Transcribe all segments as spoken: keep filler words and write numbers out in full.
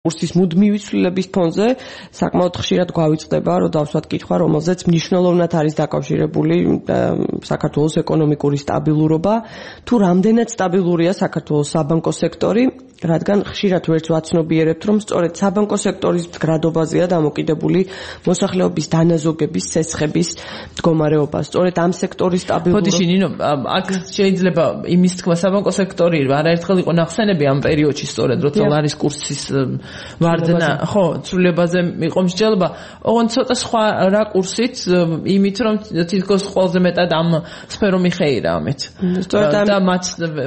კურსის მუდმივი ცვლილების ფონზე საკმაოდ ხშირად გვავიწყდება, რომ დავსვათ კითხვა, რომელზეც მნიშვნელოვნად არის დაკავშირებული საქართველოს ეკონომიკური სტაბილურობა, თუ რამდენად სტაბილურია საქართველოს საბანკო სექტორი, რადგან ხშირად ვერც ვაცნობიერებთ, რომ სწორედ საბანკო სექტორის მდგრადობაზეა დამოკიდებული მოსახლეობის დანაზოგების, ცეცხების მდგომარეობა. სწორედ ამ სექტორის სტაბილურობა. ხოდიში ნინო, აქ შეიძლება იმის თქვა საბანკო სექტორი არაერთხელ იყო ნახსენები ამ პერიოდში სწორედ, როცა ლარის კურსის ვარდნა, ხო, ცვლილებაზე იყო მსჯელობა. ოღონდ ცოტა სხვა რა კურსით, იმით რომ თითქოს ყველაზე მეტად ამ სფერო მიხეირა ამით. სწორედ და მათ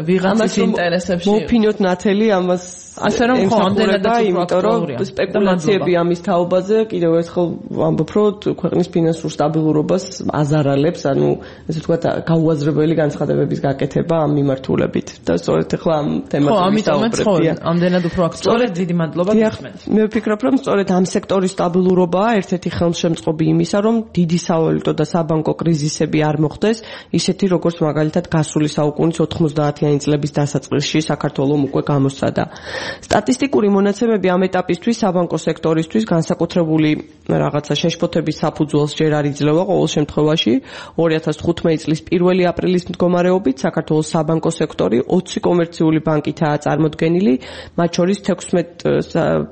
ვიღაცის ინტერესებში მოფინოთ ნათელი ამას ასე რომ ხო ამდენადაც უფრო აქტუალურია. სპეკულაციები ამის თაობაზე კიდევ ერთხელ ვამბობ, რომ ქვეყნის ფინანსურ სტაბილურობას აზარალებს, ანუ ესე ვთქვათ, გაუაზრებელი განცხადებების გაკეთება ამ მიმართულებით. და სწორედ ახლა ამ თემაზე ვისაუბრებთ. ხო, ამიტომაც ხო, ამდენად უფრო აქტუალურია. დიდი მადლობა გიხსნით. მე ვფიქრობ, რომ სწორედ ამ სექტორის სტაბილურობაა ერთ-ერთი ხელმშემწყობი იმისა, რომ დიდი სავალუტო და საბანკო კრიზისები არ მოხდეს, ისეთი როგორც მაგალითად გასული საუკუნის ოთხმოცდაათიანი წლების დასაწყისში საქართველოს უკვე გამოსცადა. სტატისტიკური მონაცემები ამ ეტაპისთვის საბანკო სექტორისთვის განსაკუთრებული რაღაცა შეშფოთების საფუძველს ჯერ არ იძლევა ყოველ შემთხვევაში. ორი ათას თხუთმეტი წლის პირველი აპრილის მდგომარეობით საქართველოს საბანკო სექტორი ოცი კომერციული ბანკითაა წარმოდგენილი, მათ შორის თექვსმეტ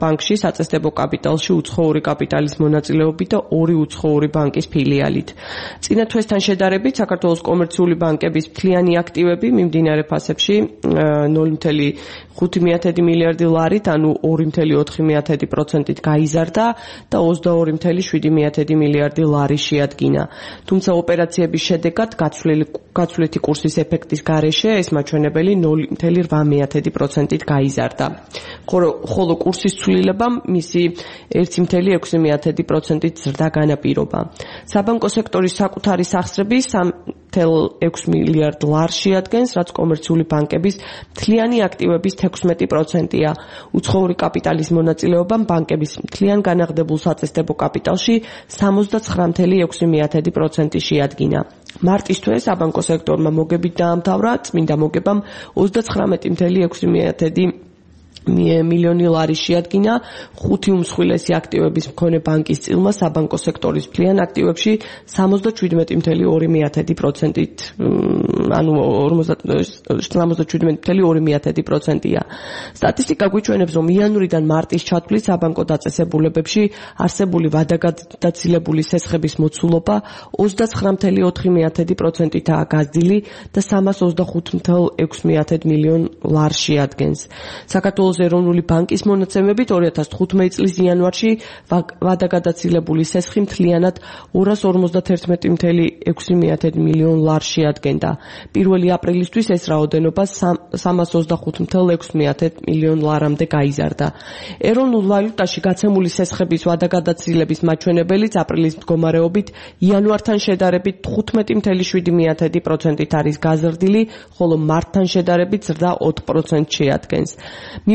ბანკში საწესდებო კაპიტალში უცხოური კაპიტალის მონაწილეობით და ორი უცხოური ბანკის ფილიალით. წინა თვესთან შედარებით საქართველოს კომერციული ბანკების მთლიანი აქტივები მიმდინარე ფასებში ნული წუთი ხუთი მილიარდი ლარით, ანუ ორი წუთი ოთხი პროცენტით გაიზარდა და ოცდაორი წუთი შვიდი მილიარდი ლარი შეადგინა. თუმცა ოპერაციების შედეგად გაცვლითი კურსის ეფექტის გარეშე ეს მაჩვენებელი ნული წუთი რვა პროცენტით გაიზარდა. ხოლო კურსის ცვლილებამ მისი ერთი წუთი ექვსი პროცენტით ზრდა განაპირობა. საბანკო სექტორის საკუთარი სახსრები სამი წუთი ექვსი მილიარდ ლარს შეადგენს, რაც კომერციული ბანკების მთლიანი აქტივების თექვსმეტი პროცენტია. უცხოური კაპიტალის მონაწილეობამ ბანკების მთლიან განაღდებულ საწესდებო კაპიტალში სამოცდაცხრა წუთი ექვსი პროცენტი შეადგინა. მარტის თვე საბანკო სექტორმა მოგებით დაამთავრა, წმინდა მოგებამ ოცდაცხრამეტი წუთი ექვსი მილიონი ლარი შეადგინა. ხუთი უმსხვილესი აქტივების მქონე ბანკის წილმა საბანკო სექტორის მთლიან აქტივებში სამოცდაშვიდმეტი წუთი ორი პროცენტით, ანუ სამოცდაშვიდმეტი წუთი ორი პროცენტია. სტატისტიკა გვიჩვენებს, რომ იანვრიდან მარტის ჩათვლით საბანკო დაწესებულებებში არსებული ვადაგადაცილებული სესხების მოცულობა ოცდაცხრა წუთი ოთხი პროცენტითაა გაზრდილი და სამას ოცდახუთი წუთი ექვსი მილიონ ლარს შეადგენს. საქართველოს ეროვნული ბანკის მონაცემებით ორი ათას თხუთმეტი წლის იანვარში ვადაგადაცილებული სესხი მთლიანად ორას ორმოცდაერთმეტი წუთი ექვსი მილიონ ლარს შეადგენდა. პირველი აპრილისთვის ეს რაოდენობა სამას ოცდახუთი წუთი ექვსი მილიონ ლარამდე გაიზარდა. ეროვნულ ვალუტაში გაცემული სესხების ვადაგადაცილების მაჩვენებელიც აპრილის მდგომარეობით იანვართან შედარებით თხუთმეტი წუთი შვიდი პროცენტით არის გაზრდილი, ხოლო მარტთან შედარებით ზრდა ოთხ პროცენტს შეადგენს.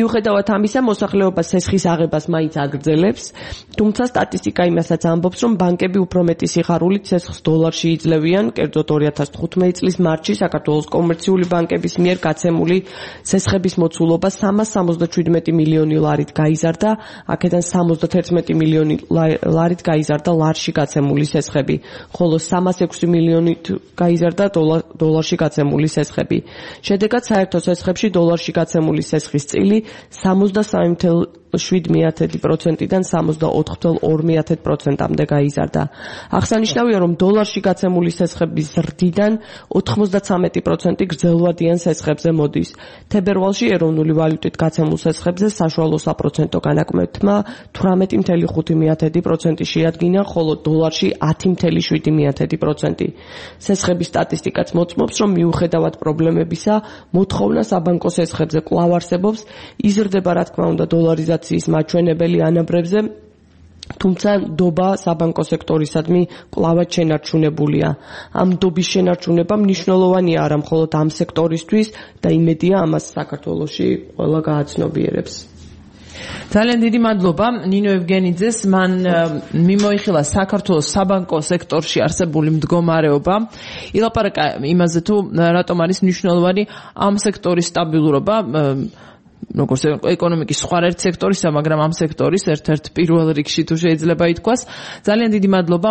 მიუხედავად ამისა, მოსახლეობა სესხის აღებას მაინც აგრძელებს, თუმცა სტატისტიკა იმასაც ამბობს, რომ ბანკები უფრო მეტი სიხარულით სესხს დოლარში იძლევიან. კერძოდ ორი ათას თხუთმეტი წლის მარტში საქართველოს კომერციული ბანკების მიერ გაცემული სესხების მოცულობა სამას სამოცდაშვიდმეტი მილიონი ლარით გაიზარდა, აქედან სამოცდაერთმეტი მილიონი ლარით გაიზარდა ლარში გაცემული სესხები, ხოლო სამას ექვსი მილიონით გაიზარდა დოლარში გაცემული სესხები. შედეგად საერთო სესხებში დოლარში გაცემული სესხის წილი სამოცდასამი წუთი შვიდი პროცენტიდან სამოცდაოთხი წუთი ორი პროცენტამდე გაიზარდა. აღსანიშნავია, რომ დოლარში გაცემული სესხების ზრდიდან ოთხმოცდაცამეტი პროცენტი გრძელვადიან სესხებზე მოდის. თებერვალში ეროვნული ვალუტით გაცემულ სესხებზე საშუალო საპროცენტო განაკმეთმა თვრამეტი წუთი ხუთი პროცენტი შეადგინა, ხოლო დოლარში ათი წუთი შვიდი პროცენტი. სესხების სტატისტიკაც მოწმობს, რომ მიუხედავად პრობლემებისა, მოთხოვნა საბანკო სესხებზე კვლავ არსებობს, იზრდება რა თქმა უნდა დოლარიზაციის მაჩვენებელი ანაბრებზე, თუმცა ნდობა საბანკო სექტორისადმი კვლავაც შენარჩუნებულია. ამ ნდობის შენარჩუნება მნიშვნელოვანია არა მხოლოდ ამ სექტორისთვის და იმედია ამას საქართველოში ყველა გააცნობიერებს. ძალიან დიდი მადლობა ნინო ევგენიძეს, მან მიმოიხილა საქართველოს საბანკო სექტორში არსებული მდგომარეობა, ილაპარაკა იმაზე თუ რატომ არის მნიშვნელოვანი ამ სექტორის სტაბილურობა, როგორც ეკონომიკის სხვა ერთ სექტორისა, მაგრამ ამ სექტორის ერთ-ერთ პირველ რიგში თუ შეიძლება ითქვას. ძალიან დიდი მადლობა.